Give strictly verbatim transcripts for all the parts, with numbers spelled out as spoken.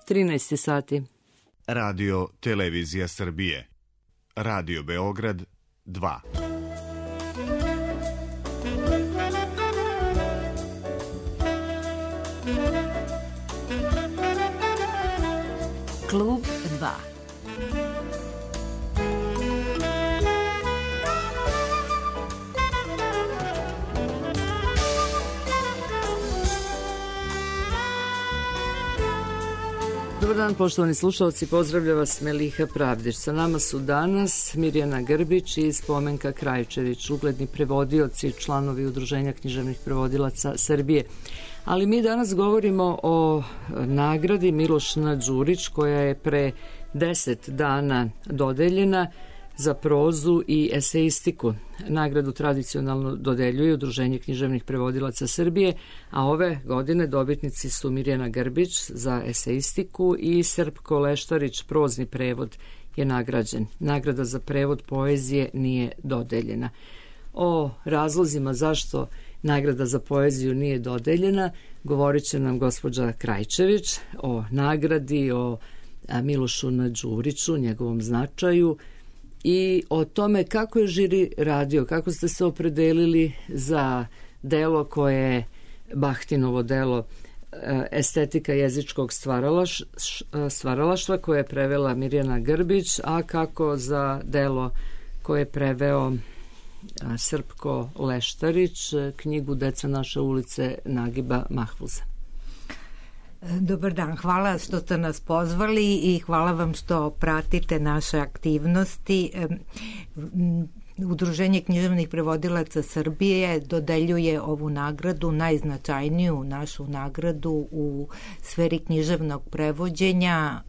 trinaest sati. Radio Televizija Srbije. Radio Beograd dva. Klub dva. Dobar dan, poštovani slušalci, pozdravlja vas Meliha Pravdić. Sa nama su danas Mirjana Grbić i Spomenka Krajčević, ugledni prevodioci, članovi Udruženja književnih prevodilaca Srbije. Ali mi danas govorimo o nagradi Miloš Đurić, koja je pre deset dana dodeljena za prozu i eseistiku. Nagradu tradicionalno dodeljuje Udruženje književnih prevodilaca Srbije, a ove godine dobitnici su Mirjana Grbić za eseistiku i Srpko Leštarić, prozni prevod je nagrađen. Nagrada za prevod poezije nije dodeljena. O razlozima zašto nagrada za poeziju nije dodeljena govorit će nam gospođa Krajčević, o nagradi, o Milošu Đuriću, njegovom značaju i o tome kako je žiri radio, kako ste se opredelili za delo koje je Bahtinovo delo estetika jezičkog stvaralaš, stvaralaštva koje je prevela Mirjana Grbić, a kako za delo koje je preveo Srpko Leštarić, knjigu Deca naše ulice Nagiba Mahfuza. Dobar dan, hvala što ste nas pozvali i hvala vam što pratite naše aktivnosti. Udruženje književnih prevodilaca Srbije dodeljuje ovu nagradu, najznačajniju našu nagradu u sferi književnog prevođenja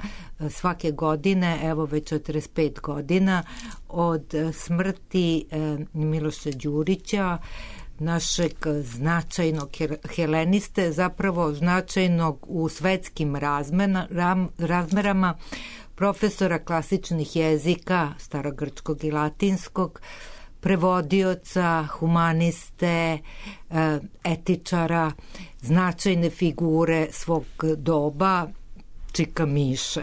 svake godine, evo već četrdeset pet godina od smrti Miloša Đurića, našeg značajnog heleniste, zapravo značajnog u svetskim razmerama, profesora klasičnih jezika, starogrčkog i latinskog, prevodioca, humaniste, etičara, značajne figure svog doba, Čika Miše.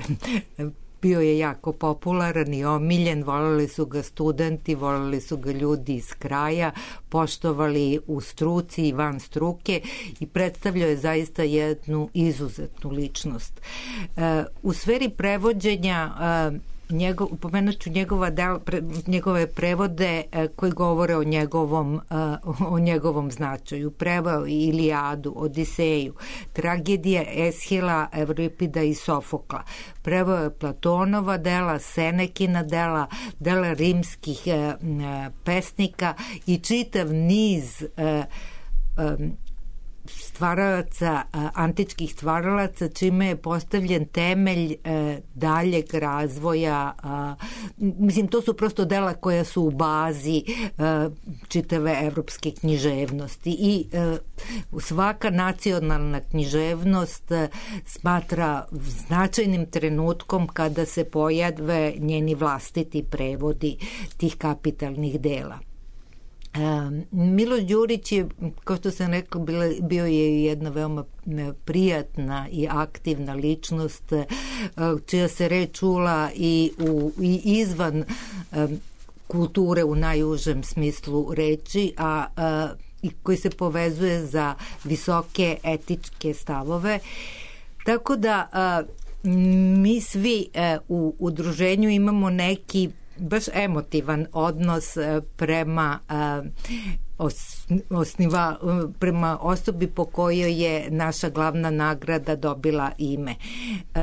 Bio je jako popularan i omiljen, voleli su ga studenti, voleli su ga ljudi iz kraja, poštovali u struci i van struke i predstavljao je zaista jednu izuzetnu ličnost. U sferi prevođenja Njegov, pomenut ću njegova del, pre, njegove prevode e, koji govore o njegovom, e, o njegovom značaju. Preveo i Ilijadu, Odiseju, tragedije Eshila, Evripida i Sofokla. Preveo je Platonova dela, Senekina dela, dela rimskih e, e, pesnika i čitav niz e, e, stvaralaca, antičkih stvaralaca, čime je postavljen temelj e, daljeg razvoja. A, mislim, to su prosto dela koja su u bazi e, čitave evropske književnosti i e, svaka nacionalna književnost e, smatra značajnim trenutkom kada se pojave njeni vlastiti prevodi tih kapitalnih dela. Miloš Đurić je, kao što sam rekla, bio je jedna veoma prijatna i aktivna ličnost čija se reč čula i, u, i izvan kulture u najužem smislu reči, a, a i koji se povezuje za visoke etičke stavove. Tako da a, mi svi a, u udruženju imamo neki baš emotivan odnos prema osniva, prema osobi po kojoj je naša glavna nagrada dobila ime.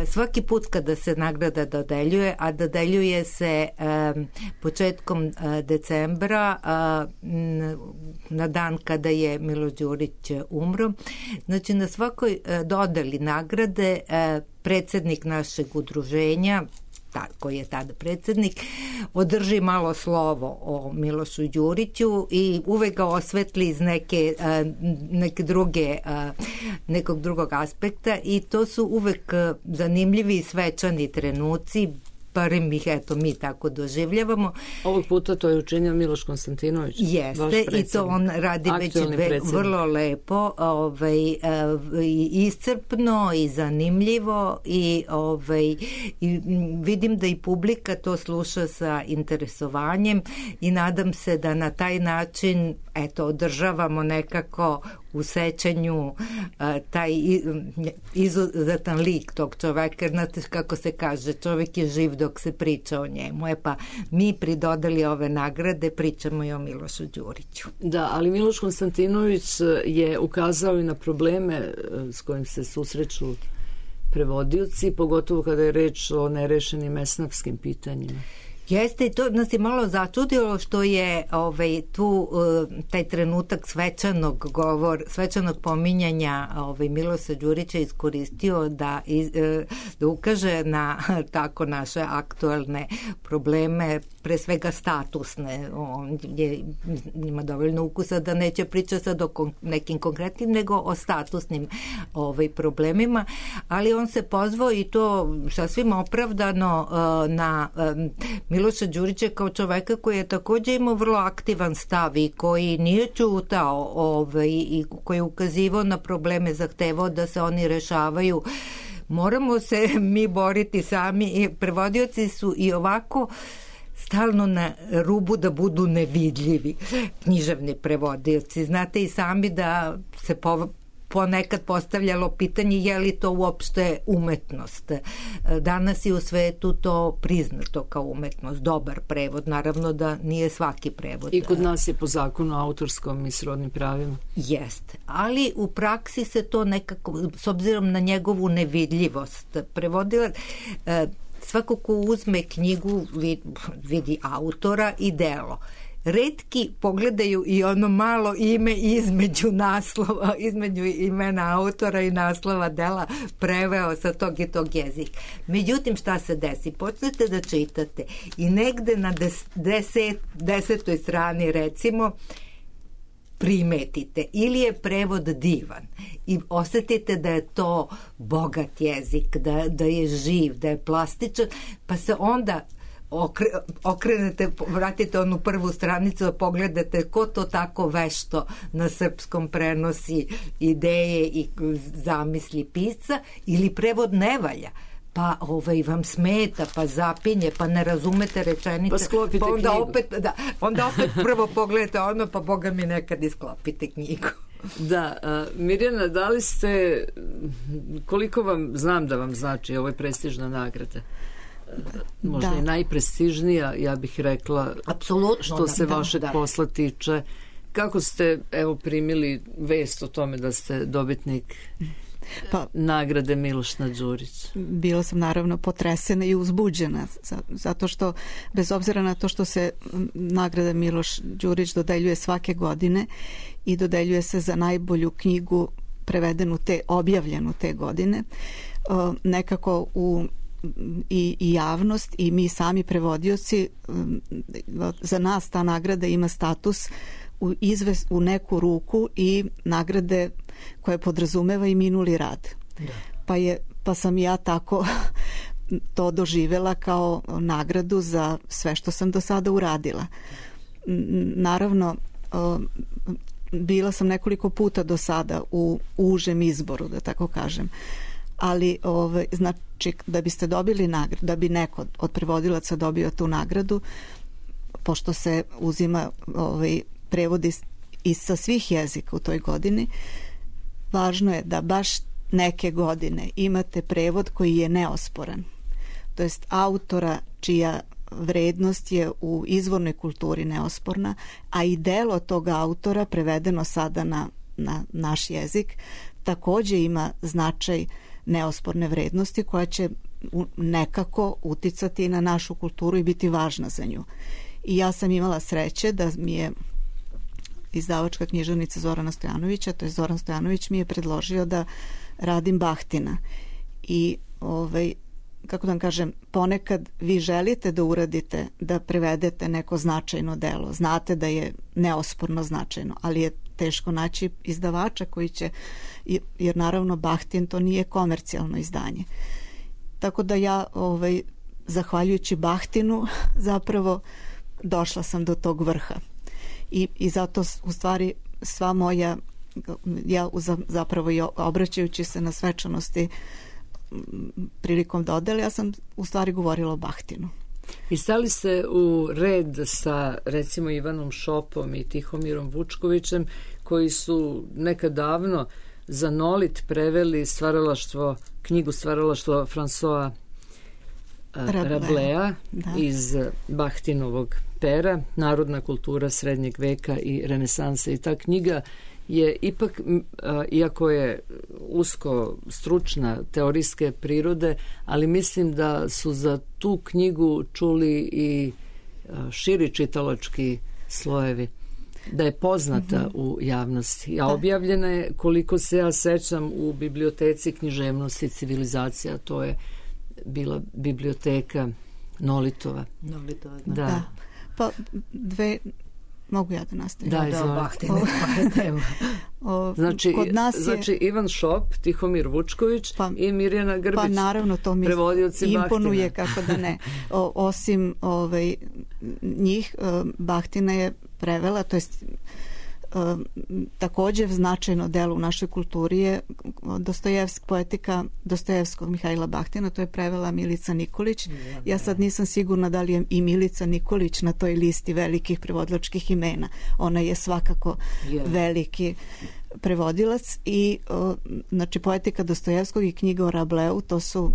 Svaki put kada se nagrada dodeljuje, a dodeljuje se početkom decembra, na dan kada je Miloš Đurić umro, znači na svakoj dodeli nagrade predsednik našeg udruženja, koji je tada predsednik, održi malo slovo o Milošu Đuriću i uvek ga osvetli iz neke, neke druge, nekog drugog aspekta i to su uvek zanimljivi i svečani trenuci, barem ih eto mi tako doživljavamo. Ovog puta to je učinio Miloš Konstantinović. Jeste, i to on radi već ve, vrlo lepo, ovaj, iscrpno i zanimljivo i, ovaj, i vidim da i publika to sluša sa interesovanjem i nadam se da na taj način eto, održavamo nekako u sećanju taj izuzetan lik tog čoveka, znate kako se kaže, čovek je živ dok se priča o njemu. E pa mi pridodali ove nagrade, pričamo i o Milošu Đuriću. Da, ali Miloš Konstantinović je ukazao i na probleme s kojim se susreću prevodioci, pogotovo kada je reč o nerešenim esnafskim pitanjima. Jeste, i to nas je malo začudilo što je ovaj, tu taj trenutak svečanog govor, svečanog pominjanja ovaj, Miloša Đurića iskoristio da, iz, da ukaže na tako naše aktualne probleme, pre svega statusne. On je, ima dovoljno ukusa da neće pričati sad o kon, nekim konkretnim, nego o statusnim ovaj, problemima, ali on se pozvao i to sasvim opravdano na Miloša Đurića kao čoveka koji je takođe imao vrlo aktivan stav i koji nije ćutao ovaj, i koji je ukazivao na probleme, zahtevao da se oni rešavaju. Moramo se mi boriti sami i prevodioci su i ovako stalno na rubu da budu nevidljivi. Književni prevodioci. Znate i sami da se po ponekad postavljalo pitanje je li to uopšte umetnost. Danas je u svetu to priznato kao umetnost, dobar prevod, naravno da nije svaki prevod. I kod nas je po zakonu o autorskom i srodnim pravima. Jeste, ali u praksi se to nekako, s obzirom na njegovu nevidljivost, prevodila, svako ko uzme knjigu vidi autora i delo. Retki pogledaju i ono malo ime između naslova, između imena autora i naslova dela preveo sa tog i tog jezika. Međutim, šta se desi? Počnete da čitate i negde na des, deset, desetoj strani recimo primetite ili je prevod divan i osetite da je to bogat jezik, da, da je živ, da je plastičan, pa se onda Okre, okrenete, vratite onu prvu stranicu da pogledate ko to tako vešto na srpskom prenosi ideje i zamisli pisca ili prevod ne valja pa ovaj vam smeta, pa zapinje, pa ne razumete rečenice, pa sklopite pa onda knjigu. opet, da, onda opet prvo pogledate ono, pa boga mi nekad i sklopite knjigu. Da, a, Mirjana, da li ste, koliko vam, znam da vam znači, ovo je prestižna nagrada, možda da. I najprestižnija, ja bih rekla, apsolutno, što da, se da, vašeg da. posla tiče. Kako ste, evo, primili vest o tome da ste dobitnik pa, nagrade Miloš Đurić? Bila sam naravno potresena i uzbuđena, zato što, bez obzira na to što se nagrada Miloš Đurić dodeljuje svake godine i dodeljuje se za najbolju knjigu prevedenu te, objavljenu te godine, nekako u I, i javnost i mi sami prevodioci, za nas ta nagrada ima status u, izves, u neku ruku i nagrade koje podrazumeva i minuli rad. Da. Pa, je, pa sam ja tako to doživela kao nagradu za sve što sam do sada uradila. Naravno, bila sam nekoliko puta do sada u užem izboru, da tako kažem. Ali ovaj, znači da biste dobili nagradu, da bi neko od prevodilaca dobio tu nagradu, pošto se uzima ovaj, prevodi iz sa svih jezika u toj godini, važno je da baš neke godine imate prevod koji je neosporan. To jest autora čija vrednost je u izvornoj kulturi neosporna, a i delo tog autora prevedeno sada na, na naš jezik takođe ima značaj neosporne vrednosti koja će nekako uticati na našu kulturu i biti važna za nju. I ja sam imala sreće da mi je izdavačka književnica Zorana Stojanovića, to je Zoran Stojanović mi je predložio da radim Bahtina. I ovaj, kako da vam kažem, ponekad vi želite da uradite, da prevedete neko značajno delo. Znate da je neosporno značajno, ali je teško naći izdavača koji će, jer naravno Bahtin to nije komercijalno izdanje. Tako da ja ovaj, zahvaljujući Bahtinu zapravo došla sam do tog vrha. I, i zato u stvari sva moja, ja zapravo i obraćajući se na svečanosti prilikom dodele, ja sam u stvari govorila o Bahtinu. I stali ste u red sa recimo Ivanom Šopom i Tihomirom Vučkovićem, koji su nekad davno za Nolit preveli stvaralaštvo, knjigu stvaralaštvo François Rabelais iz Bahtinovog pera, Narodna kultura srednjeg veka i renesanse. I ta knjiga je ipak, iako je usko stručna, teorijske prirode, ali mislim da su za tu knjigu čuli i širi čitalački slojevi, da je poznata mm-hmm. u javnosti. A objavljena je, koliko se ja sećam, u biblioteci književnosti civilizacija. To je bila biblioteka Nolitova. Nolitova, da. da. Pa dve... Mogu ja da nastavim? Da, izvolite. Znači, kod nas je... znači Ivan Šop, Tihomir Vučković pa, i Mirjana Grbić. Pa naravno, to mi imponuje, kako da ne. O, osim ovaj, njih, Bahtina je prevela, to jest također značajno delo u našoj kulturi je Dostojevsk, poetika Dostojevskog Mihajla Bahtina, to je prevela Milica Nikolić. Ja sad nisam sigurna da li je i Milica Nikolić na toj listi velikih prevodilačkih imena. Ona je svakako veliki prevodilac i znači poetika Dostojevskog i knjiga o Rableu, to su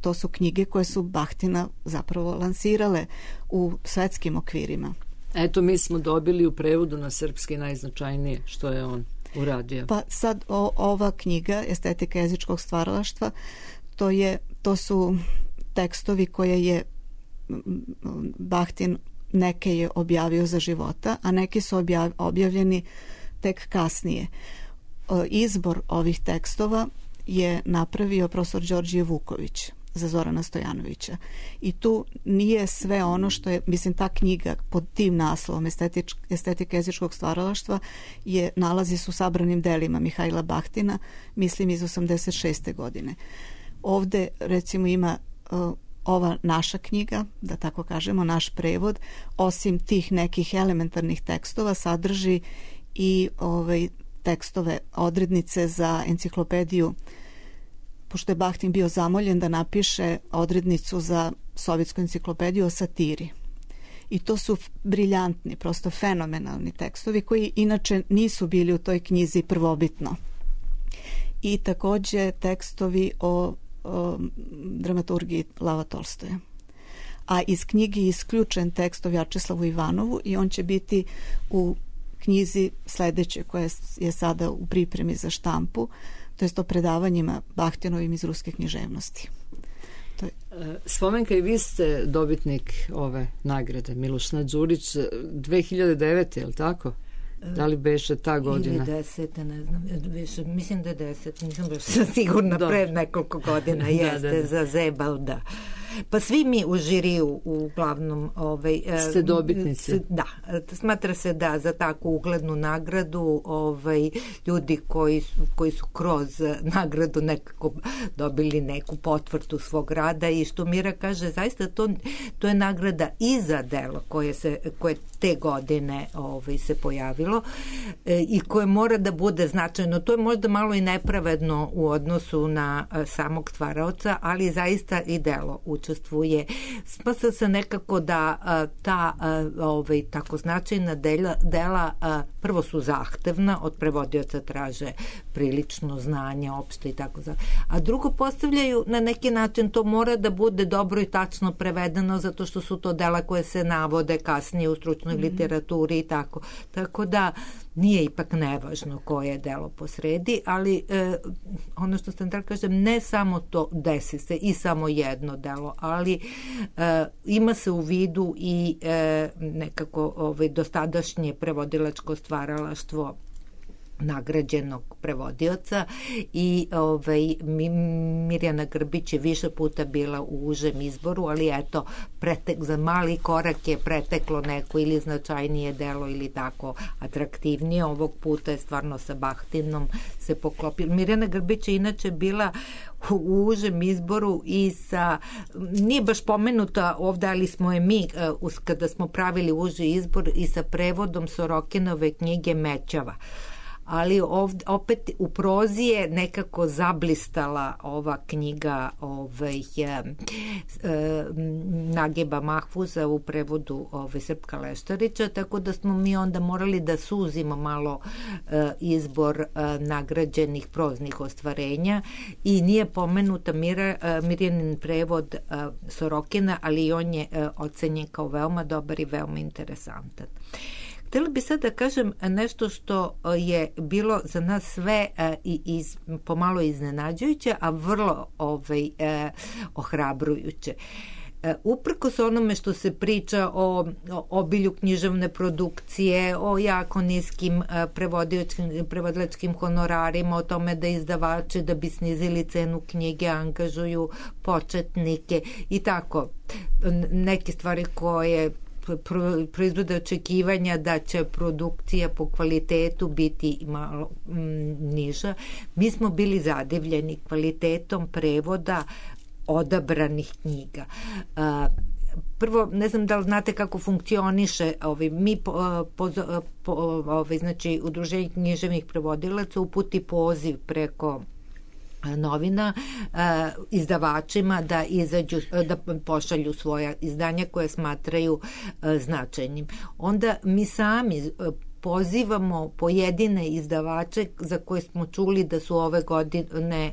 to su knjige koje su Bahtina zapravo lansirale u svetskim okvirima. Eto, mi smo dobili u prevodu na srpski najznačajnije što je on uradio. Pa sad o, ova knjiga Estetika jezičkog stvaralaštva, to je to su tekstovi koje je Bahtin, neke je objavio za života, a neki su objav, objavljeni tek kasnije. Izbor ovih tekstova je napravio profesor Đorđije Vuković za Zorana Stojanovića. I tu nije sve ono što je, mislim, ta knjiga pod tim naslovom Estetič, Estetika jezičkog stvaralaštva je, nalazi se u sabranim delima Mihajla Bahtina, mislim iz osamdeset šeste godine. Ovde recimo ima uh, ova naša knjiga, da tako kažemo, naš prevod, osim tih nekih elementarnih tekstova sadrži i ovaj, tekstove, odrednice za enciklopediju, pošto je Bahtin bio zamoljen da napiše odrednicu za sovjetsku enciklopediju o satiri. I to su briljantni, prosto fenomenalni tekstovi koji inače nisu bili u toj knjizi prvobitno. I također tekstovi o, o dramaturgiji Lava Tolstoja. A iz knjige je isključen tekst o Vjačeslavu Ivanovu i on će biti u knjizi sledeće koja je sada u pripremi za štampu, to jest o predavanjima Bahtinovim iz ruske književnosti. To je... Spomenka, i vi ste dobitnik ove nagrade, Miloš Đurić, dve hiljade devete, je li tako? Da li beše ta godina? Ili desete, ne znam, više, mislim da je deset, nisam baš sigurna, pre nekoliko godina jeste, da, da, da. Za Zebalda. Pa svi mi u žiriju uglavnom ovaj, ste dobitnici. Da, smatra se da za takvu uglednu nagradu ovaj, ljudi koji su, koji su kroz nagradu nekako dobili neku potvrdu svog rada i što Mira kaže, zaista to, to je nagrada i za delo koje, se, koje te godine ovaj, se pojavilo e, i koje mora da bude značajno. To je možda malo i nepravedno u odnosu na a, samog stvaraoca, ali zaista i delo učestvuje. Smatra se nekako da a, ta a, ovaj, tako značajna dela, dela a, prvo su zahtevna, od prevodioca traže prilično znanje, opšte i tako za. A drugo postavljaju na neki način, to mora da bude dobro i tačno prevedeno, zato što su to dela koje se navode kasnije u stručnoj mm-hmm. literaturi i tako. Tako da nije ipak nevažno koje je delo posredi, ali e, ono što sam da kažem, ne samo to desi se i samo jedno delo, ali e, ima se u vidu i e, nekako ovaj, dostadašnje prevodilačko stvaralaštvo nagrađenog prevodioca i ovaj, Mirjana Grbić je više puta bila u užem izboru, ali eto, pretek, za mali korak je preteklo neko ili značajnije delo ili tako atraktivnije. Ovog puta je stvarno sa Bahtinom se poklopila. Mirjana Grbić je inače bila u užem izboru i sa, nije baš pomenuta ovde, ali smo je mi, kada smo pravili uži izbor, i sa prevodom Sorokinove knjige Mećava. Ali ovdje, opet u prozi je nekako zablistala ova knjiga ovaj, e, e, Nagiba Mahfuza u prevodu ovaj, Srpka Leštarića, tako da smo mi onda morali da suzimo malo e, izbor e, nagrađenih proznih ostvarenja i nije pomenuta Mira, e, Mirjanin prevod e, Sorokina, ali on je e, ocenjen kao veoma dobar i veoma interesantan. Htjela bi sad da kažem nešto što je bilo za nas sve i iz, pomalo iznenađujuće, a vrlo ovaj, eh, ohrabrujuće. E, uprkos onome što se priča o, o obilju književne produkcije, o jako niskim prevodilačkim honorarima, o tome da izdavači da bi snizili cenu knjige angažuju početnike i tako, neke stvari koje proizvode očekivanja da će produkcija po kvalitetu biti malo m, niža. Mi smo bili zadivljeni kvalitetom prevoda odabranih knjiga. A, prvo, ne znam da li znate kako funkcioniše, ovaj, mi po, po, po, ovaj, znači Udruženje književnih prevodilaca uputi poziv preko novina eh, izdavačima da izađu, da pošalju svoja izdanja koje smatraju eh, značajnim. Onda mi sami eh, pozivamo pojedine izdavače za koje smo čuli da su ove godine,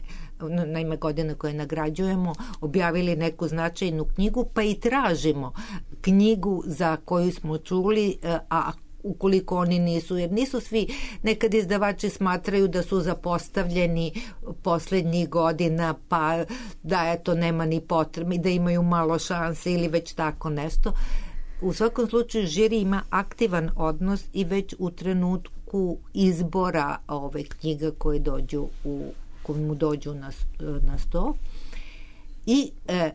na ime godine koje nagrađujemo, objavili neku značajnu knjigu, pa i tražimo knjigu za koju smo čuli, eh, a ukoliko oni nisu, jer nisu svi, nekad izdavači smatraju da su zapostavljeni poslednjih godina, pa da eto nema ni potrebe, da imaju malo šanse ili već tako nešto. U svakom slučaju žiri ima aktivan odnos i već u trenutku izbora ove knjiga koje dođu u, koje mu dođu na, na sto. I e,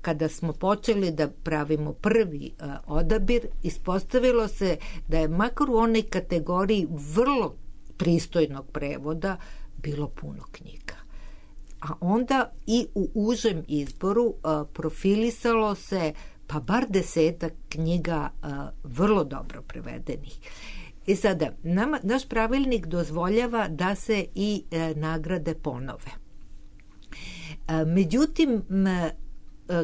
kada smo počeli da pravimo prvi uh, odabir, ispostavilo se da je makar u onoj kategoriji vrlo pristojnog prevoda bilo puno knjiga. A onda i u užem izboru uh, profilisalo se pa bar desetak knjiga uh, vrlo dobro prevedenih. I sada, nama, naš pravilnik dozvoljava da se i uh, nagrade ponove. Uh, međutim, m,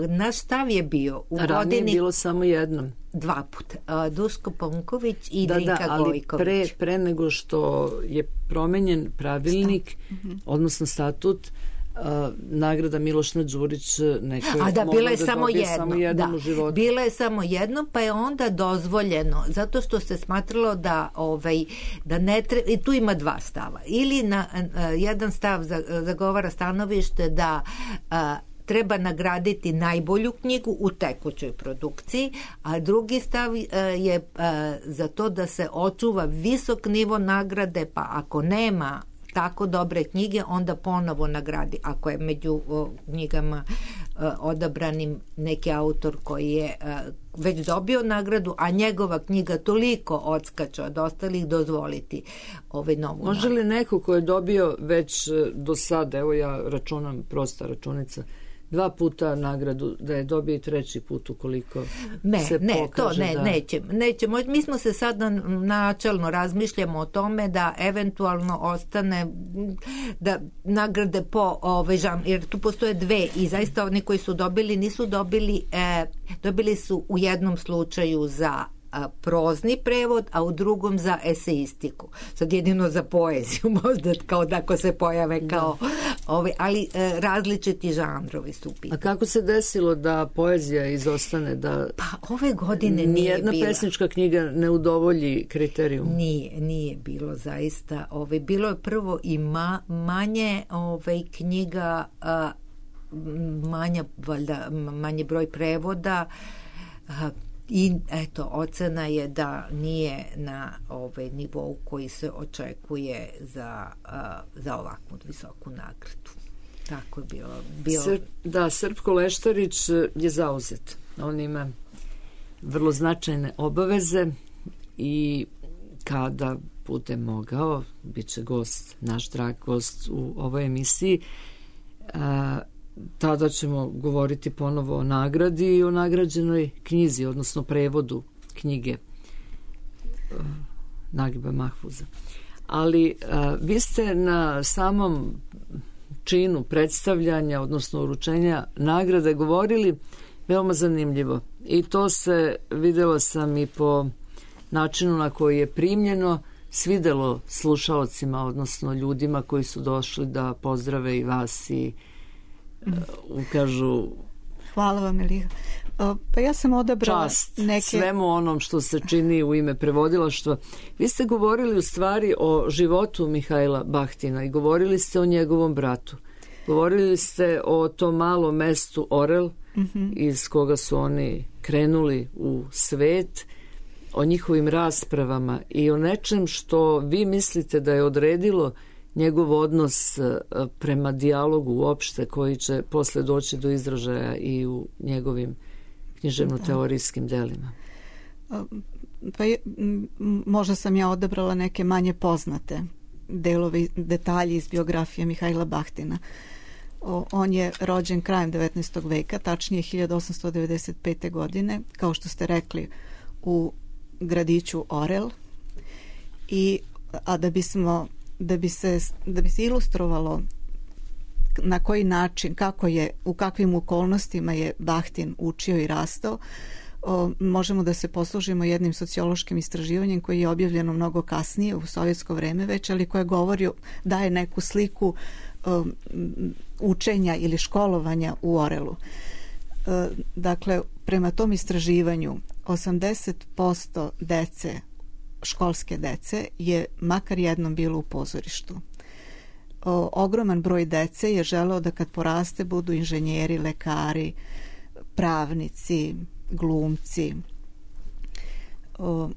naš stav je bio u ranije godini... je bilo samo jednom. Dva puta. Duško Ponković i da, Drinka da, ali Gojković. Pre, pre nego što je promenjen pravilnik, mm-hmm. odnosno statut, a, nagrada Milošna Đurić neko je A da, bila je da samo jedno. Samo jednom da, u životu. Bila je samo jedno, pa je onda dozvoljeno, zato što se smatralo da, ovaj, da ne treba, i tu ima dva stava. Ili na, a, jedan stav zagovara stanovište da a, treba nagraditi najbolju knjigu u tekućoj produkciji, a drugi stav je za to da se očuva visok nivo nagrade, pa ako nema tako dobre knjige, onda ponovo nagradi. Ako je među knjigama odabranim neki autor koji je već dobio nagradu, a njegova knjiga toliko odskače od ostalih, dozvoliti ovaj novu Može nagradu. li neko ko je dobio već do sada, evo ja računam, prosta računica, dva puta nagradu, da je dobio i treći put ukoliko ne, se ne, pokaže to ne, da... neće, neće. Mi smo se sad načelno razmišljamo o tome da eventualno ostane da nagrade po ovaj žan, jer tu postoje dve i zaista oni koji su dobili nisu dobili, e, dobili su u jednom slučaju za prozni prevod, a u drugom za eseistiku. Sad jedino za poeziju, možda kao da ako se pojave kao da. Ove, ali e, različiti žanrovi su pitani. A kako se desilo da poezija izostane? Da pa ove godine nije nijedna bila. pesnička knjiga ne udovolji kriterijum? Nije, nije bilo zaista. Ove, bilo je prvo i ma, manje ove, knjiga, a, manja, valjda, manje broj prevoda, a, i eto, ocena je da nije na ovaj nivou koji se očekuje za, uh, za ovakvu visoku nagradu. Tako je bilo. bilo... Sr, da, Srpko Leštarić je zauzet. On ima vrlo značajne obaveze i kada bude mogao, bit će gost, naš drag gost u ovoj emisiji, a, tada ćemo govoriti ponovo o nagradi i o nagrađenoj knjizi, odnosno prevodu knjige a, Nagiba Mahfuza. Ali a, vi ste na samom činu predstavljanja, odnosno uručenja nagrade govorili veoma zanimljivo. I to se, videla sam i po načinu na koji je primljeno, svidelo slušaocima, odnosno ljudima koji su došli da pozdrave i vas i uh, ukažu hvala vam, Eliha. Pa ja sam odabrala čast neke... svemu onom što se čini u ime prevodilaštva. Vi ste govorili u stvari o životu Mihajla Bahtina i govorili ste o njegovom bratu. Govorili ste o tom malom mestu Orel, mm-hmm. iz koga su oni krenuli u svet, o njihovim raspravama i o nečem što vi mislite da je odredilo njegov odnos prema dijalogu uopšte, koji će posle doći do izražaja i u njegovim književno-teorijskim delima. Pa je, možda sam ja odabrala neke manje poznate delovi, detalji iz biografije Mihajla Bahtina. O, on je rođen krajem devetnaestog veka, tačnije hiljadu osamsto devedeset pete. godine, kao što ste rekli, u gradiću Orel. I, a da bismo da bi se da bi se ilustrovalo na koji način, kako je, u kakvim okolnostima je Bahtin učio i rastao, o, možemo da se poslužimo jednim sociološkim istraživanjem koji je objavljeno mnogo kasnije u sovjetsko vreme već, ali koje govori, daje neku sliku o, učenja ili školovanja u Orelu. E, dakle, prema tom istraživanju osamdeset posto dece, školske dece, je makar jednom bilo u pozorištu. O, ogroman broj dece je želeo da kad poraste budu inženjeri, lekari, pravnici, glumci. O,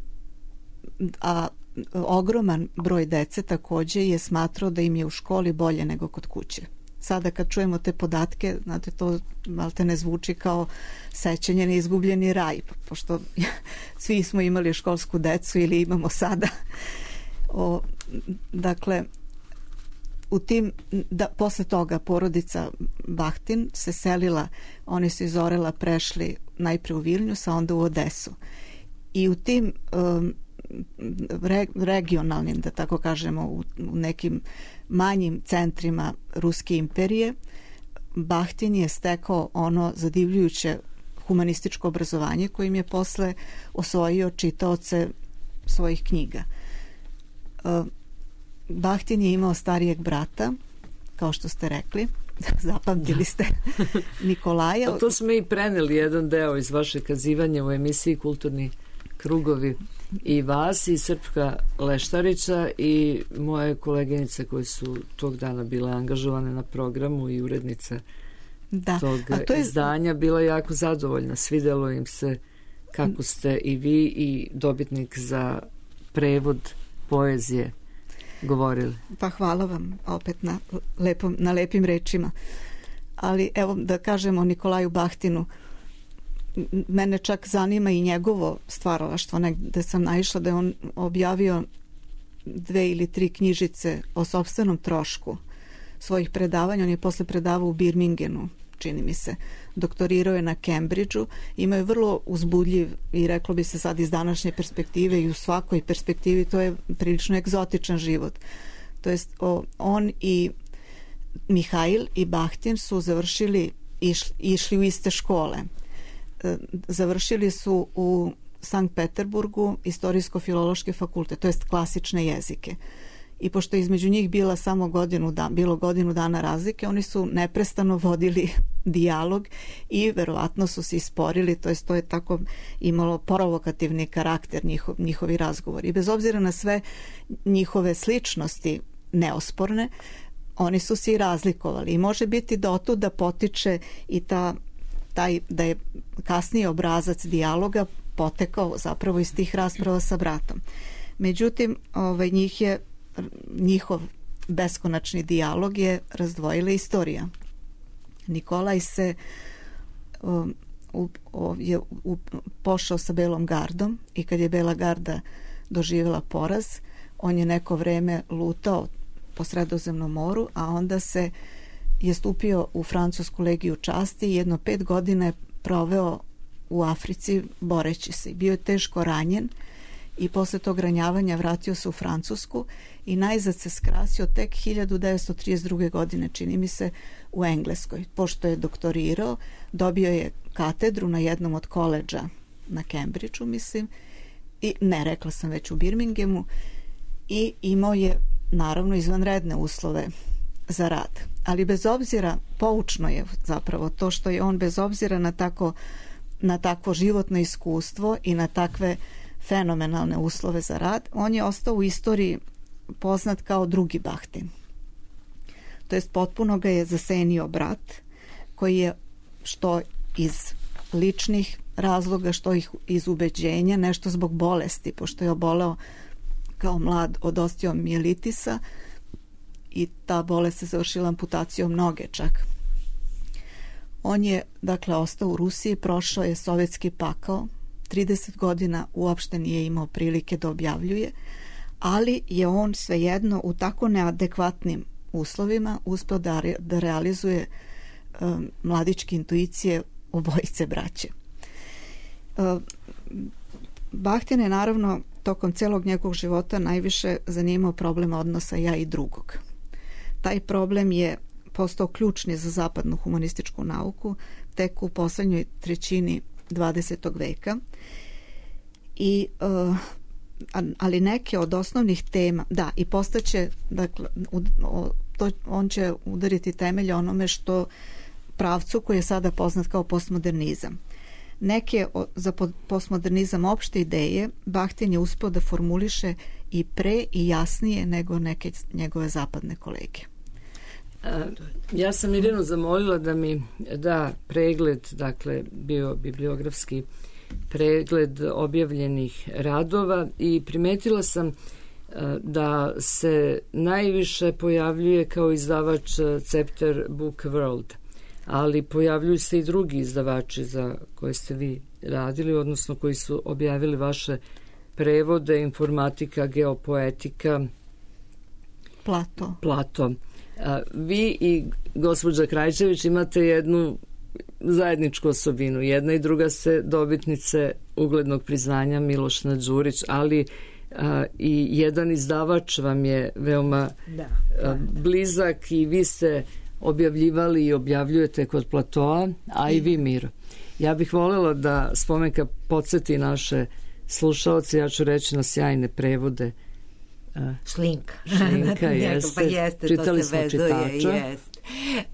a ogroman broj dece takođe je smatrao da im je u školi bolje nego kod kuće. Sada kad čujemo te podatke, znate, to malte ne zvuči kao sećanje na izgubljeni raj, pošto svi smo imali školsku decu ili imamo sada. O, dakle, u tim, da, posle toga porodica Bahtin se selila, oni su iz Orela prešli najpre u Vilnius, a onda u Odesu. I u tim um, re, regionalnim, da tako kažemo, u, u nekim manjim centrima Ruske imperije, Bahtin je stekao ono zadivljujuće humanističko obrazovanje kojim je posle osvojio čitaoce svojih knjiga. Uh, Bahtin je imao starijeg brata, kao što ste rekli, zapamtili ste, Nikolaja. A to smo i preneli jedan deo iz vaše kazivanja u emisiji Kulturni krugovi, i vas i Srpka Leštarića i moje koleginice koje su tog dana bile angažovane na programu i urednice da. tog to je... izdanja bila jako zadovoljna. Svidelo im se kako ste i vi i dobitnik za prevod poezije govorili. Pa hvala vam opet na, lepom, na lepim rečima. Ali evo da kažemo o Nikolaju Bahtinu, mene čak zanima i njegovo stvaralaštvo. Negde sam naišla da je on objavio dve ili tri knjižice o sopstvenom trošku svojih predavanja. On je posle predavao u Birmingenu, čini mi se. Doktorirao je na Cambridgeu. Imao je vrlo uzbudljiv i reklo bi se sad iz današnje perspektive i u svakoj perspektivi to je prilično egzotičan život. To jest o, on i Mihajl i Bahtin su završili, išli, išli u iste škole. Završili su u Sankt Peterburgu istorijsko-filološki fakultet, to jest klasične jezike. I pošto je između njih bila samo godinu da, bilo godinu dana razlike, oni su neprestano vodili dijalog i verovatno su se isporili, to jest to je tako imalo provokativni karakter njihov, njihovi razgovori. I bez obzira na sve njihove sličnosti neosporne, oni su se i razlikovali. I može biti da otuda potiče i ta taj, da je kasniji obrazac dijaloga potekao zapravo iz tih rasprava sa bratom. Međutim, ovaj, njih je, njihov beskonačni dijalog je razdvojila istorija. Nikolaj se um, u, o, je u, pošao sa Belom gardom i kad je Bela garda doživjela poraz, on je neko vreme lutao po Sredozemnom moru, a onda se je stupio u Francusku legiju časti i jedno pet godina je proveo u Africi boreći se. Bio je teško ranjen i posle tog ranjavanja vratio se u Francusku i najzad se skrasio tek hiljadu devetsto trideset druge. godine, čini mi se, u Engleskoj. Pošto je doktorirao, dobio je katedru na jednom od koledža na Cambridgeu, mislim, i ne, rekla sam već u Birminghamu, i imao je naravno izvanredne uslove za rad. Ali bez obzira, poučno je zapravo to što je on bez obzira na tako na takvo životno iskustvo i na takve fenomenalne uslove za rad, on je ostao u istoriji poznat kao drugi Bahtin. To jest potpuno ga je zasenio brat, koji je što iz ličnih razloga, što ih iz ubeđenja, nešto zbog bolesti, pošto je oboleo kao mlad od osteomijelitisa i ta bolest se završila amputacijom noge čak. On je, dakle, ostao u Rusiji, prošao je sovjetski pakao, trideset godina uopšte nije imao prilike da objavljuje, ali je on svejedno u tako neadekvatnim uslovima uspeo da, re, da realizuje um, mladičke intuicije obojice braće. Um, Bahtin je naravno tokom celog njegovog života najviše zanimao problem odnosa ja i drugog. Taj problem je postao ključni za zapadnu humanističku nauku tek u poslednjoj trećini dvadesetog veka. I, uh, ali neke od osnovnih tema, da, i postaće, dakle, u, o, to, on će udariti temelje onome što pravcu koji je sada poznat kao postmodernizam. Neke o, za postmodernizam opšte ideje Bahtin je uspeo da formuliše i pre i jasnije nego neke njegove zapadne kolege. Ja sam Mirjanu zamolila da mi da pregled, dakle bio bibliografski pregled objavljenih radova i primetila sam da se najviše pojavljuje kao izdavač Cepter Book World, ali pojavljuju se i drugi izdavači za koje ste vi radili, odnosno koji su objavili vaše prevode, informatika, geopoetika, Plato. Plato. A, vi i gospođa Krajčević imate jednu zajedničku osobinu. Jedna i druga ste dobitnice uglednog priznanja Miloš Đurić, ali a, i jedan izdavač vam je veoma da, da. A, blizak i vi ste objavljivali i objavljujete kod Platoa, a i vi, Miro. Ja bih voljela da Spomenka podsjeti naše slušaoce, ja ću reći na sjajne prevode. Šlinka. Šlinka, jeste. Pa jeste, čitali to se vezuje, čitača. Jest.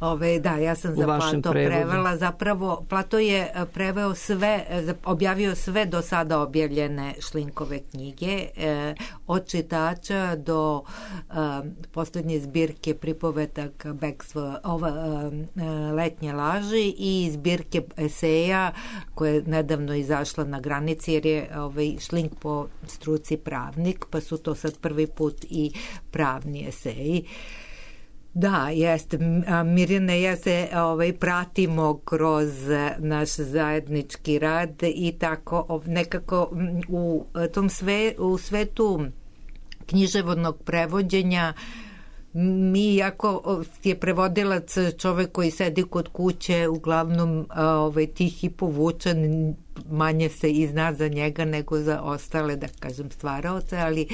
Ove, da, ja sam za Plato prevela. Zapravo, Plato je preveo sve, objavio sve do sada objavljene Šlinkove knjige, eh, od čitača do eh, posljednje zbirke pripovetaka Bekstvo, ova, eh, Letnje laži i zbirke eseja koja je nedavno izašla na granici, jer je ovaj, Šlink po struci pravnik, pa su to sad prvi put i pravni eseji. Da, jeste. Mirjane, ja se ovaj, pratimo kroz naš zajednički rad i tako nekako u tom sve, u svetu književnog prevođenja mi, jako je prevodilac čovek koji sedi kod kuće, uglavnom ovaj, tih i povučen, manje se i zna za njega nego za ostale, da kažem, stvaraoce, ali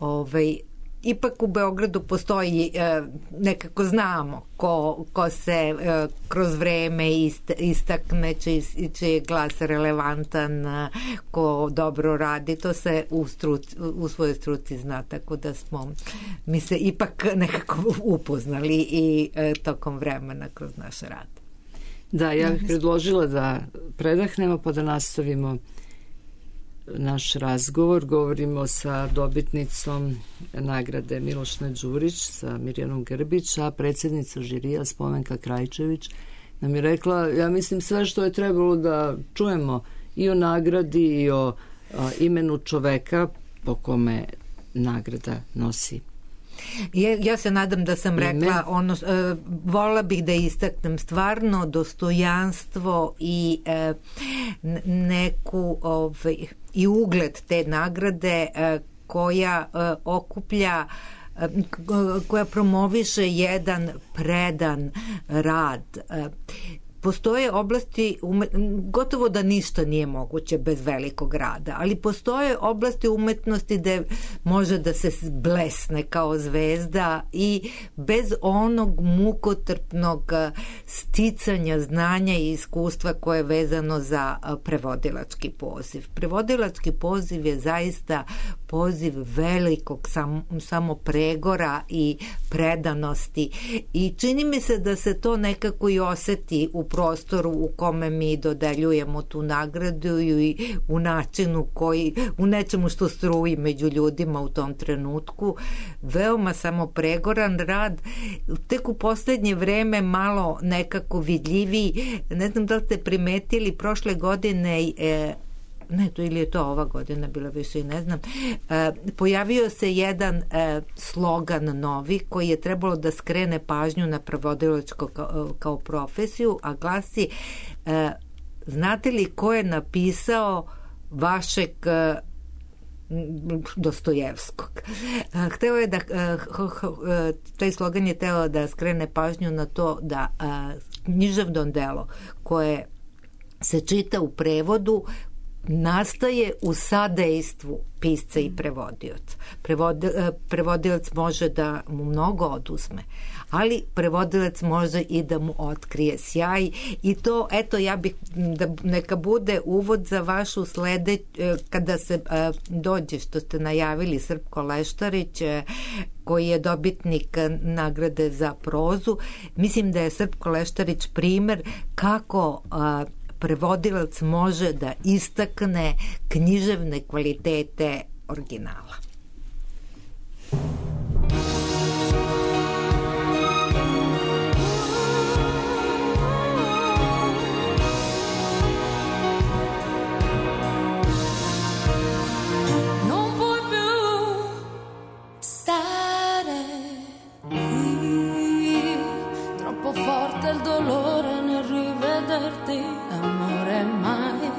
ovaj, ipak u Beogradu postoji, e, nekako znamo ko, ko se e, kroz vreme ist, istakne, čiji, čiji je glas relevantan, ko dobro radi, to se u, struci, u svojoj struci zna, tako da smo mi se ipak nekako upoznali i e, tokom vremena kroz naš rad. Da, ja bih predložila da predahnemo pa da nastavimo naš razgovor. Govorimo sa dobitnicom nagrade Miloš Đurić, sa Mirjanom Grbić, a predsjednica žirija Spomenka Krajčević nam je rekla, ja mislim, sve što je trebalo da čujemo i o nagradi i o a, imenu čoveka po kome nagrada nosi. Ja, ja se nadam da sam rekla ono, e, vola bih da istaknem stvarno dostojanstvo i e, neku ovaj, i ugled te nagrade e, koja e, okuplja e, koja promoviše jedan predan rad. E, Postoje oblasti, gotovo da ništa nije moguće bez velikog rada, ali postoje oblasti umetnosti gde može da se blesne kao zvezda i bez onog mukotrpnog sticanja znanja i iskustva koje je vezano za prevodilački poziv. Prevodilački poziv je zaista poziv velikog sam, samopregora i predanosti i čini mi se da se to nekako i oseti u prostoru u kome mi dodeljujemo tu nagradu i u načinu koji, u nečemu što struji među ljudima u tom trenutku. Veoma samopregoran rad, tek u poslednje vreme malo nekako vidljiviji. Ne znam da li ste primetili, prošle godine e, ne, to ili je to ova godina bila, više i ne znam, e, pojavio se jedan e, slogan novi koji je trebalo da skrene pažnju na prevodilačko kao, kao profesiju, a glasi e, znate li ko je napisao vašeg e, Dostojevskog. Hteo je da taj slogan je teo da skrene pažnju na to da književno delo koje se čita u prevodu nastaje u sadejstvu pisca i prevodioca. Prevod, prevodilac može da mu mnogo oduzme, ali prevodilac može i da mu otkrije sjaj i to, eto, ja bih da neka bude uvod za vašu slede, kada se a, dođe, što ste najavili, Srpko Leštarić, koji je dobitnik nagrade za prozu. Mislim da je Srpko Leštarić primer kako a, prevodilac može da istakne književne kvalitete originala. Non puoi più stare qui, troppo forte il dolore nel rivederti. Amore, mai,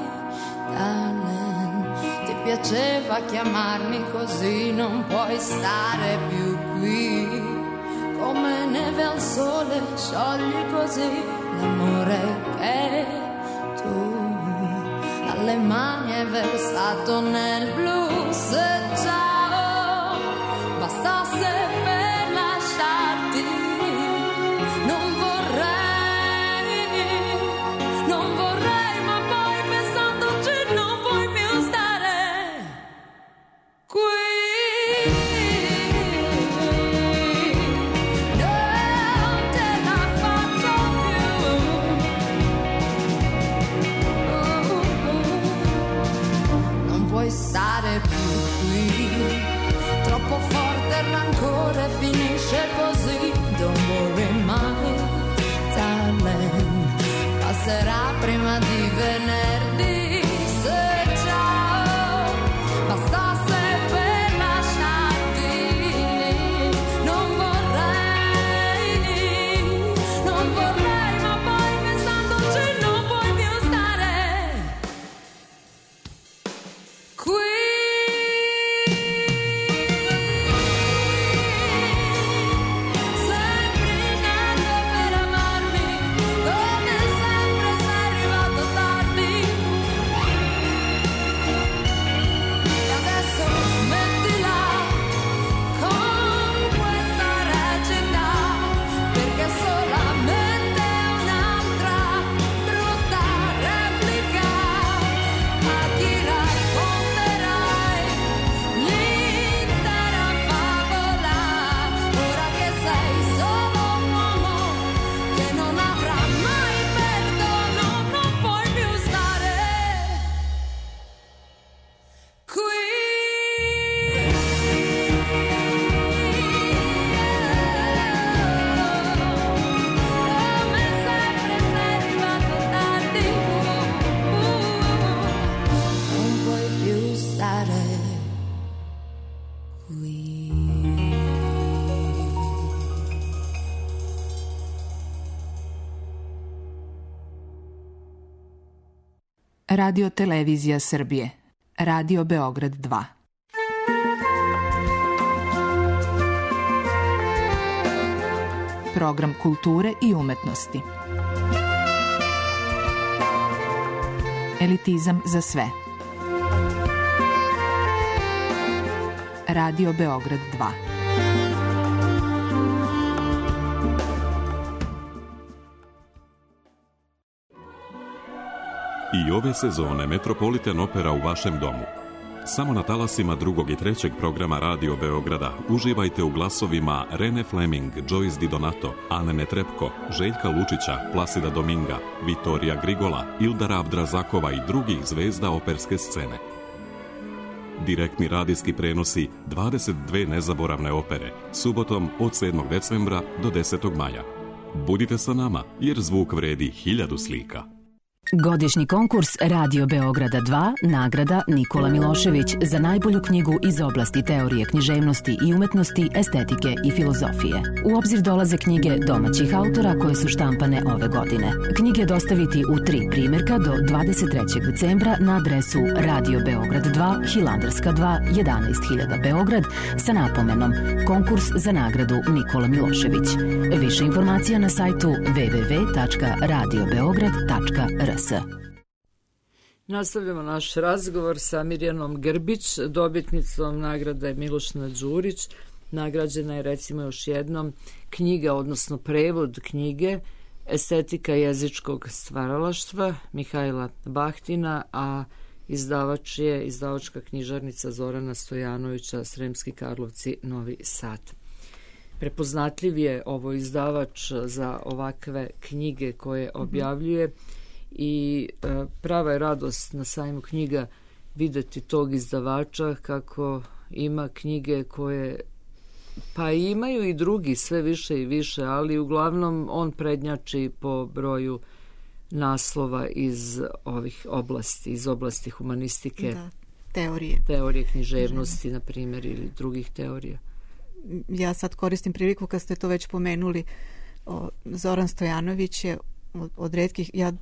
darling, ti piaceva chiamarmi così, non puoi stare più qui. Come neve al sole sciogli così l'amore che tu dalle mani hai versato nel blu. Se ciao bastasse per lasciarti, non vorrei. Non vorrei, ma poi pensandoci non puoi più stare qui. Non te la faccio più. Non puoi stare più qui. Troppo forte il rancore, finisce così. Don't worry, mai, darling. Passerà prima di venerdì. Se ciao bastasse per lasciarti, non vorrei, non vorrei, ma poi pensandoci non puoi più stare qui. Sempre nato per amarmi, come sempre sei arrivato tardi. Radio Televizija Srbije. Radio Beograd dva. Program kulture i umetnosti. Elitizam za sve. Radio Beograd dva. I ove sezone Metropolitan Opera u vašem domu. Samo na talasima drugog i trećeg programa Radio Beograda uživajte u glasovima Rene Fleming, Joyce Di Donato, Ane Netrebko, Željka Lučića, Plasida Dominga, Vitorija Grigola, Ildara Abdrazakova i drugih zvezda operske scene. Direktni radijski prenosi dvadeset dve nezaboravne opere, subotom od sedmog decembra do desetog maja. Budite sa nama, jer zvuk vredi hiljadu slika. Godišnji konkurs Radio Beograda dva, nagrada Nikola Milošević za najbolju knjigu iz oblasti teorije književnosti i umetnosti, estetike i filozofije. U obzir dolaze knjige domaćih autora koje su štampane ove godine. Knjige dostaviti u tri primjerka do dvadeset trećeg decembra na adresu Radio Beograd dva, Hilandarska dva, jedanaest hiljada Beograd sa napomenom Konkurs za nagradu Nikola Milošević. Više informacija na sajtu w w w tačka radio beograd tačka r s. Nastavljamo naš razgovor sa Mirjanom Grbić, dobitnicom nagrade Miloš Đurić. Nagrađena je recimo još jednom knjiga, odnosno prevod knjige Estetika jezičkog stvaralaštva Mihajla Bahtina, a izdavač je izdavačka knjižarnica Zorana Stojanovića, Sremski Karlovci, Novi Sad. Prepoznatljiv je ovo izdavač za ovakve knjige koje objavljuje i e, prava je radost na sajmu knjiga videti tog izdavača kako ima knjige koje pa imaju i drugi sve više i više, ali uglavnom on prednjači po broju naslova iz ovih oblasti, iz oblasti humanistike, da, teorije. Teorije književnosti, na primjer, ili drugih teorija. Ja sad koristim priliku kad ste to već pomenuli. O, Zoran Stojanović je od, od retkih, ja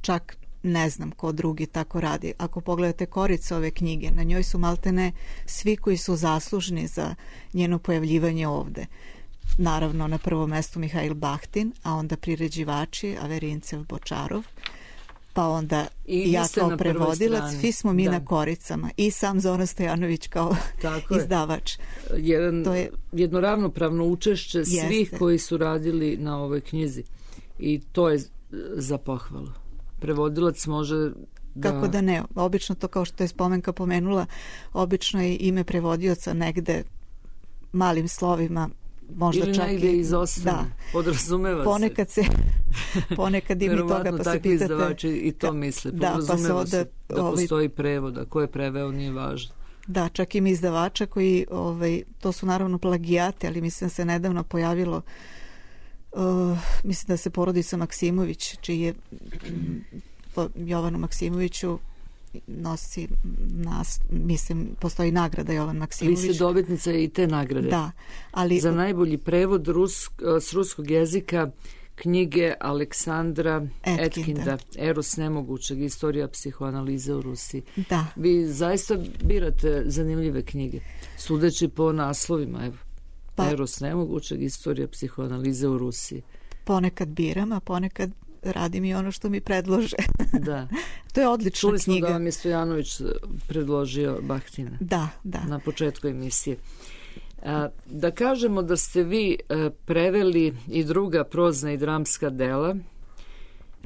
čak ne znam ko drugi tako radi. Ako pogledate koricu ove knjige, na njoj su maltene svi koji su zaslužni za njeno pojavljivanje ovde. Naravno, na prvom mestu Mihajl Bahtin, a onda priređivači Averincev, Bočarov, pa onda i ja kao prevodilac, svi smo mi da. na koricama i sam Zoran Stojanović kao tako izdavač. Jedan, to je jedno ravnopravno učešće jeste. svih koji su radili na ovoj knjizi i to je za pohvalu. Prevodilac može da... Kako da ne, obično to kao što je Spomenka pomenula, obično je ime prevodioca negde malim slovima, možda ili čak negde i izostane, da. podrazumeva ponekad se. se ponekad i mi toga pa se pitate izdavači i to misle, podrazumeva da, pa se, se da ovaj, postoji prevod, a ko je preveo nije važno. Da, čak ima izdavača koji ovaj, to su naravno plagijate, ali mislim da se nedavno pojavilo uh, mislim da se porodica Maksimović, čiji je po Jovanu Maksimoviću nosi nas, mislim, postoji nagrada Jovan Maksimović. Vi ste dobitnica i te nagrade. Da, ali... Za najbolji prevod rusk, s ruskog jezika knjige Aleksandra Etkinda, Etkinda Eros nemogućeg, istorija psihoanalize u Rusiji. Da. Vi zaista birate zanimljive knjige, sudeći po naslovima, evo. Pa, Eros nemogućeg, istorija psihoanalize u Rusiji. Ponekad biram, a ponekad radim i ono što mi predlože. Da. To je odlična Čuli knjiga. Čuli smo da vam je Stojanović predložio Bahtina. Da, da. Na početku emisije. A, da kažemo da ste vi a, preveli i druga prozna i dramska dela,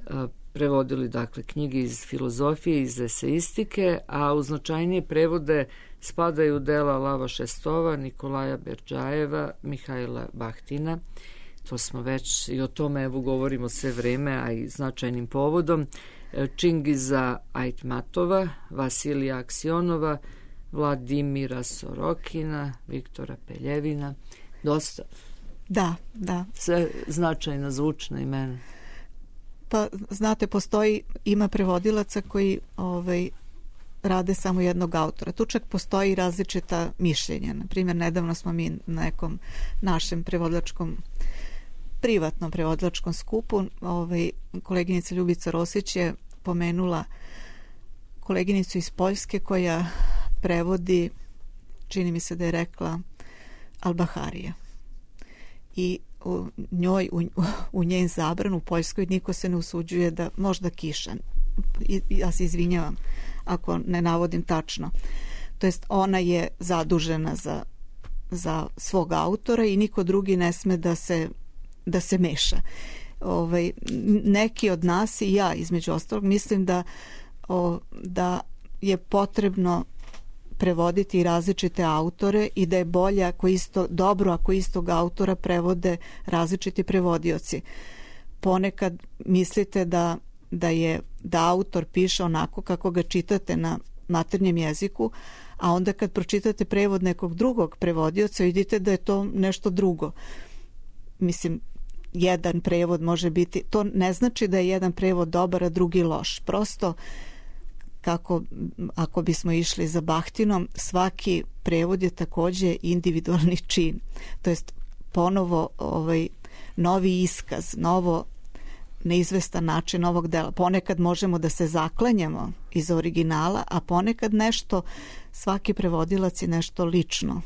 a, prevodili dakle knjige iz filozofije, iz eseistike, a u značajnije prevode spadaju dela Lava Šestova, Nikolaja Berdžajeva, Mihajla Bahtina. To smo već i o tome evo govorimo sve vreme, a i značajnim povodom. Čingiza Ajtmatova, Vasilija Aksionova, Vladimira Sorokina, Viktora Peljevina. Dosta. Da, da. Sve značajna zvučna imena. Pa, znate, postoji, ima prevodilaca koji ovaj, rade samo jednog autora. Tu čak postoji različita mišljenja. Naprimjer, nedavno smo mi na nekom našem prevodilačkom privatnom prevodilačkom skupu, ovaj, koleginica Ljubica Rosić je pomenula koleginicu iz Poljske koja prevodi, čini mi se da je rekla Al-Baharija. I u njoj, u, u njen zabran u Poljskoj niko se ne usuđuje da, možda Kiša, I, ja se izvinjavam ako ne navodim tačno. To jest ona je zadužena za, za svog autora i niko drugi ne sme da se, da se meša. Ovaj, neki od nas i ja između ostalog mislim da, o, da je potrebno prevoditi različite autore i da je bolje ako isto, dobro ako istog autora prevode različiti prevodioci. Ponekad mislite da, da je da autor piše onako kako ga čitate na maternjem jeziku, a onda kad pročitate prevod nekog drugog prevodioca vidite da je to nešto drugo. Mislim, jedan prevod može biti, to ne znači da je jedan prevod dobar, a drugi loš. Prosto kako ako bismo išli za Bahtinom, svaki prevod je takođe individualni čin. To jest ponovo ovaj novi iskaz, novo neizvestan način ovog dela. Ponekad možemo da se zaklanjamo iz originala, a ponekad nešto, svaki prevodilac je nešto lično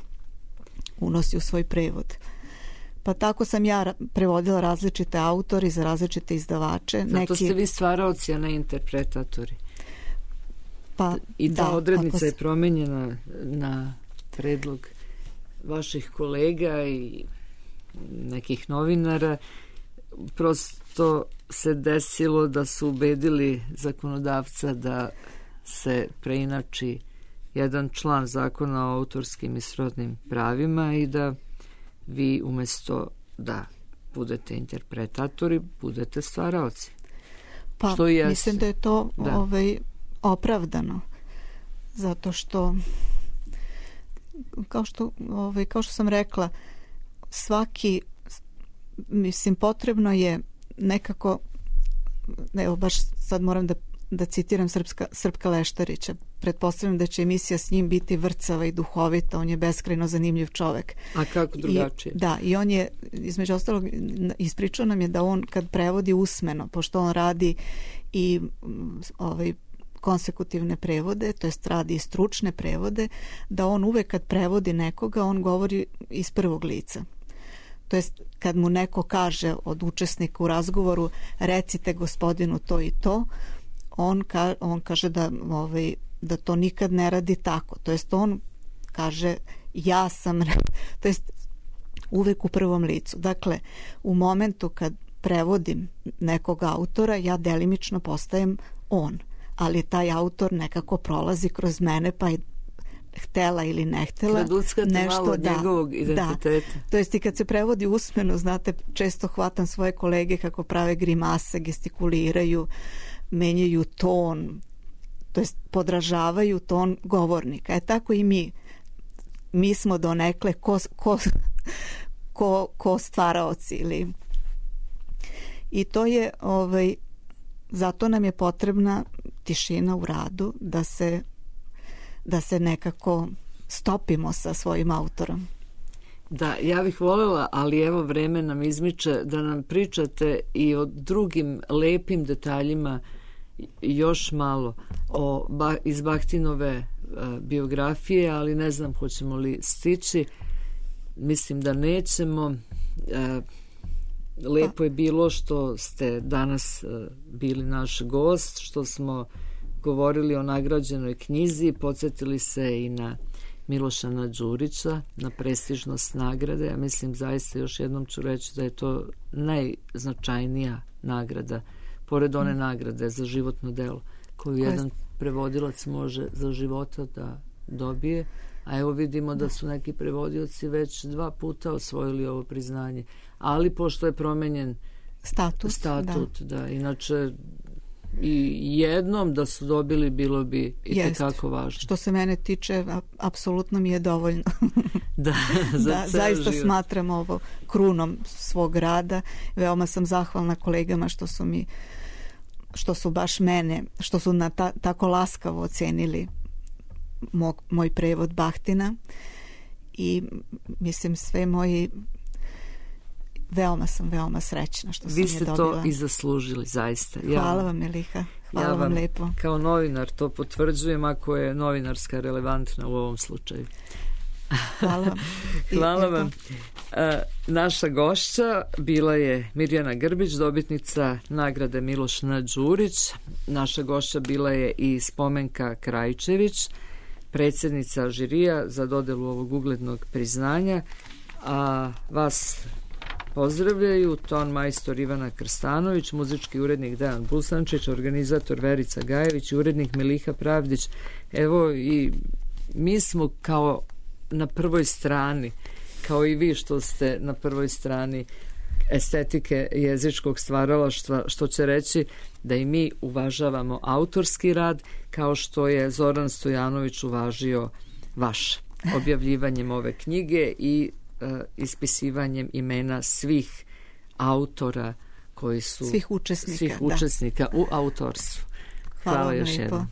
unosi u svoj prevod. Pa tako sam ja prevodila različite autori za različite izdavače. Zato Neki... ste vi stvaraoci, a ne interpretatori. Pa, I ta da, odrednica se... je promenjena na predlog vaših kolega i nekih novinara. Prosto se desilo da su ubedili zakonodavca da se preinači jedan član zakona o autorskim i srodnim pravima i da vi umesto da budete interpretatori, budete stvaraoci. Pa što jeste. Mislim da je to da. ovaj, opravdano. Zato što kao što, ovaj, kao što sam rekla, svaki, mislim, potrebno je nekako, evo baš sad moram da, da citiram Srpska, Srpka Leštarića. Pretpostavljam da će emisija s njim biti vrcava i duhovita, on je beskrajno zanimljiv čovek. A kako drugačije? I, da, i on je, između ostalog, ispričao nam je da on kad prevodi usmeno, pošto on radi i ovaj, konsekutivne prevode, to jest radi i stručne prevode, da on uvek kad prevodi nekoga, on govori iz prvog lica. To jest kad mu neko kaže od učesnika u razgovoru recite gospodinu to i to, on, ka, on kaže da, ovaj, da to nikad ne radi tako. To jest on kaže ja sam, to jest uvek u prvom licu. Dakle, u momentu kad prevodim nekog autora, ja delimično postajem on, ali taj autor nekako prolazi kroz mene, pa je htela ili ne htela. Kraduckate nešto malo da, njegovog identiteta. Da. To jest i kad se prevodi usmeno, znate, često hvatam svoje kolege kako prave grimase, gestikuliraju, menjaju ton, to jest podražavaju ton govornika. E tako i mi. Mi smo donekle ko, ko, ko, ko stvaraoci. Ili... I to je, ovaj, zato nam je potrebna tišina u radu, da se da se nekako stopimo sa svojim autorom. Da, ja bih voljela, ali evo vreme nam izmiče, da nam pričate i o drugim lepim detaljima još malo o, ba, iz Bahtinove a, biografije, ali ne znam hoćemo li stići. Mislim da nećemo. A, lepo je bilo što ste danas a, bili naš gost, što smo govorili o nagrađenoj knjizi, podsjetili se i na Milošana Đurića, na prestižnost nagrade. Ja mislim zaista, još jednom ću reći da je to najznačajnija nagrada, pored one nagrade za životno delo, koju jedan prevodilac može za života da dobije. A evo vidimo da su neki prevodioci već dva puta osvojili ovo priznanje. Ali pošto je promenjen status, statut, da. da, inače i jednom da su dobili bilo bi i tekako važno. Što se mene tiče, apsolutno mi je dovoljno. da, za da zaista život. Smatram ovo krunom svog rada. Veoma sam zahvalna kolegama što su mi što su baš mene, što su na ta, tako laskavo ocenili mog, moj prevod Bahtina i mislim sve moji veoma sam, veoma srećna što sam Vi je ste dobila. to i zaslužili, zaista. Hvala vam, Miliha. Hvala ja vam lepo. Kao novinar to potvrđujem, ako je novinarska relevantna u ovom slučaju. Hvala vam. I, Hvala eto. vam. E, naša gošća bila je Mirjana Grbić, dobitnica nagrade Miloš N. Đurić. Naša gošća bila je i Spomenka Krajčević, predsjednica žirija za dodelu ovog uglednog priznanja. A vas pozdravljaju ton majstor Ivana Krstanović, muzički urednik Dejan Busančić, organizator Verica Gajević i urednik Miliha Pravdić. Evo, i mi smo kao na prvoj strani, kao i vi što ste na prvoj strani estetike jezičkog stvaralaštva, što će reći da i mi uvažavamo autorski rad, kao što je Zoran Stojanović uvažio vaš objavljivanjem ove knjige i uh, ispisivanjem imena svih autora koji su svih učesnika, svih da. učesnika u autorstvu. Hvala, Hvala vam još lepo. jednom.